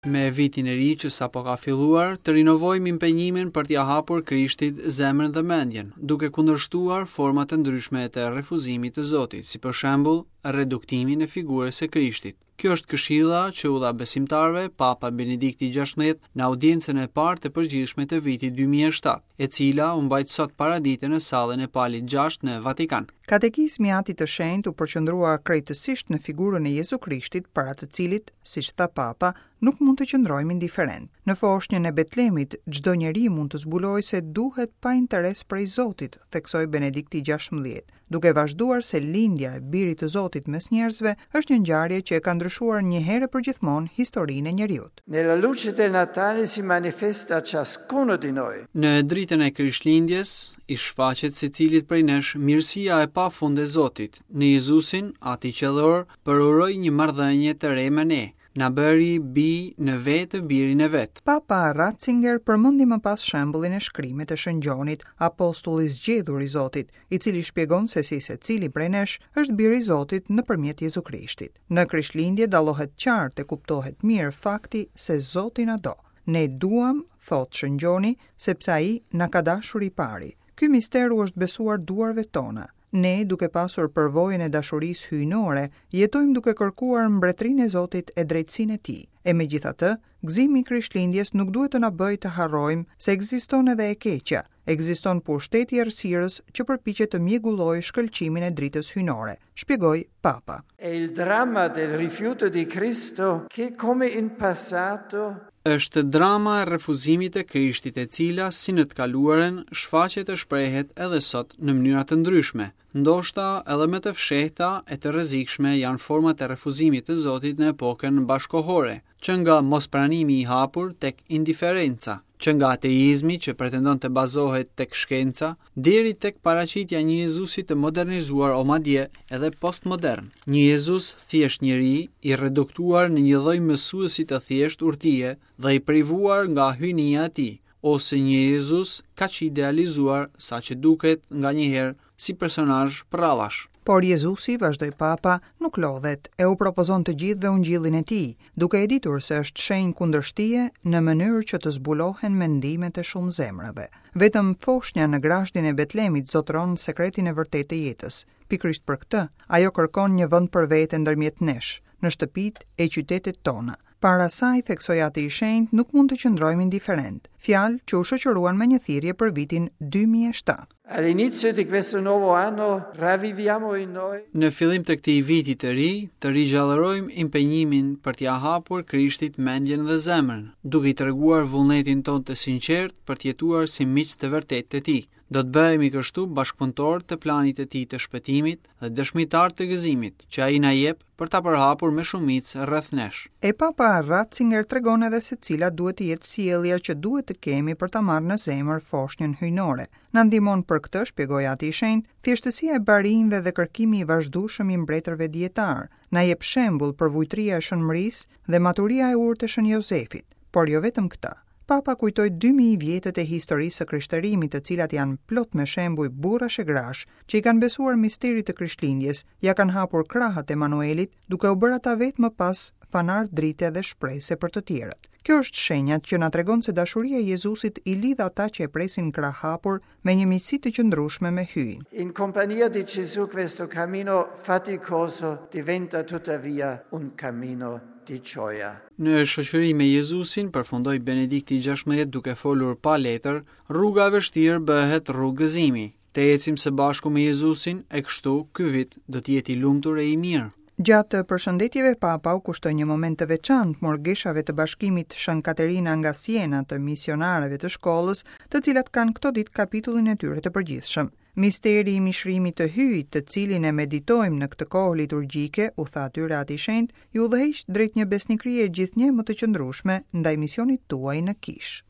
Me vitin e ri që sapo ka filluar, të rinovojmë impenjimin për t'ia hapur Krishtit zemrën dhe mendjen, duke kundërshtuar format e ndryshme të refuzimit të Zotit, si për shembull reduktimin e figurës së Krishtit. Kjo është këshilla që u dha besimtarëve Papa Benedikti XVI në audiencën e parë të përgjithshme të vitit 2007, e cila u mbajt sot paradite në sallën e Palit VI në Vatikan. Katekizmi i Atit të Shenjtë u përqendrua krejtësisht në figurën e Jezu Krishtit, para të cilit, siç tha Papa, nuk mund të qëndrojmë indiferentë. Në foshnjën e Betlemit, çdo njeri mund të zbulojë se duhet pa interes prej Zotit, theksoi Benedikti XVI, duke vazhduar se lindja e Birit të Zotit mes njerëzve është një ngjarje që e ka ndryshuar një herë e përgjithmonë historinë e njeriut. Nella luce del Natale si manifesta a ciascuno di noi. Në dritën e Krishtlindjes, i shfaqet secilit prej nesh mirësia e pafund e Zotit. Në Jezusin, Ati Qiellor përuroi një marrëdhënie të re me ne, na bëri bij në vetë birin e vet. Papa Ratzinger përmendi më pas shembullin e shkrimit të Shën Gjonit, apostull i zgjedhur i Zotit, i cili shpjegon se si secili prej nesh është bir i Zotit nëpërmjet Jezu Krishtit. Në Krishtlindje dallohet qartë e kuptohet mirë fakti se Zoti na do. Ne duam, thotë Shën Gjoni, sepse Ai na ka dashur i pari. Ky mister u është besuar duarve tona. Ne, duke pasur përvojën e dashurisë hyjnore, jetojmë duke kërkuar mbretërinë e Zotit e drejtësinë e Tij. E megjithatë, gëzimi i Krishtlindjes nuk duhet të na bëjë të harrojmë se ekziston edhe e keqja, ekziston pushteti i errësirës që përpiqet të mjegullojë shkëlqimin e dritës hyjnore, shpjegoi Papa. È il dramma del rifiuto di Cristo che, come in passato, Është drama e refuzimit të Krishtit e cila, si në të kaluarën, shfaqet e shprehet edhe sot në mënyra të ndryshme. Ndoshta edhe më të fshehta e të rrezikshme janë format e refuzimit të Zotit në epokën bashkëkohore, që nga mospranimi i hapur tek indiferenca, që nga ateizmi që pretendon të bazohet tek shkenca, deri tek paraqitja e një Jezusi të modernizuar o madje edhe postmodern. Një Jezus thjesht njeri, i reduktuar në një lloj mësuesi të thjeshtë urtie dhe i privuar nga hyjnia e tij, ose një Jezus kaq i idealizuar sa që duket nganjëherë si personazh përrallash. Por Jezusi, vazhdoi Papa, nuk lodhet e u propozon të gjithëve ungjillin e tij, duke e ditur se është shenjë kundërshtie në mënyrë që të zbulohen mendimet e shumë zemrave. Vetëm foshnja në grazhdin e Betlemit zotëron sekretin e vërtetë të jetës. Pikërisht për këtë, ajo kërkon një vend për vete ndërmjet nesh, në shtëpitë e qytetet tona. Para saj, theksoi Ati i Shenjtë, nuk mund të qëndrojmë indiferentë, fjalë që u shoqëruan me një thirrje për vitin 2007. All'inizio di questo nuovo anno ravviviamo in noi. Në fillim të këtij viti të ri, të rigjallërojmë impenjimin për t'ia hapur Krishtit mendjen dhe zemrën, duke i treguar vullnetin tonë të sinqertë për të jetuar si miq të vërtetë të tij. Do të bëhemi kështu bashkëpunëtorë të planit të tij të shpëtimit dhe dëshmitarë të gëzimit, që ai na jep për ta përhapur me shumicë rreth nesh. E Papa Ratzinger tregon edhe se cila duhet të jetë sjellja që duhet të kemi për ta marrë në zemër foshnjën hyjnore. Na ndihmon për këtë, shpjegoi Ati i Shenjtë, thjeshtësia e barinjve dhe kërkimi i vazhdueshëm i mbretërve dijetarë. Na jep shembull përvujtria e Shën Mërisë dhe maturia e urtë e Shën Jozefit. Por jo vetëm këta. Papa kujtoi 2000 vjetët e historisë së krishterimit, të cilat janë plot me shembuj burrash e grash, që i kanë besuar misterit të Krishtlindjes, ia kanë hapur krahët Emanuelit, duke u bërë ata vetë më pas fanar drite dhe shprese për të tjerët. Kjo është shenja që na tregon se dashuria e Jezusit i lidh ata që e presin krahëhapur me një miqësi të qëndrueshme me Hyjin. In compagnia di Gesù questo cammino faticoso diventa tuttavia un cammino di gioia. Në shoqëri me Jezusin, përfundoi Benedikti XVI duke folur pa letër, rruga e vështirë bëhet rrugë gëzimi. Të ecim së bashku me Jezusin e kështu ky vit do të jetë i lumtur e i mirë. Gjatë përshëndetjeve Papa u kushtoi një moment të veçantë murgeshave të bashkimit Shën Katerina nga Siena të misionareve të shkollës, të cilat kanë këto ditë kapitullin e tyre të përgjithshëm. Misteri i mishërimit të Hyjit, të cilin e meditojmë në këtë kohë liturgjike, u tha atyre Ati i Shenjtë, ju udhëheq drejt një besnikërie gjithnjë më të qëndrueshme ndaj misionit tuaj në kishë.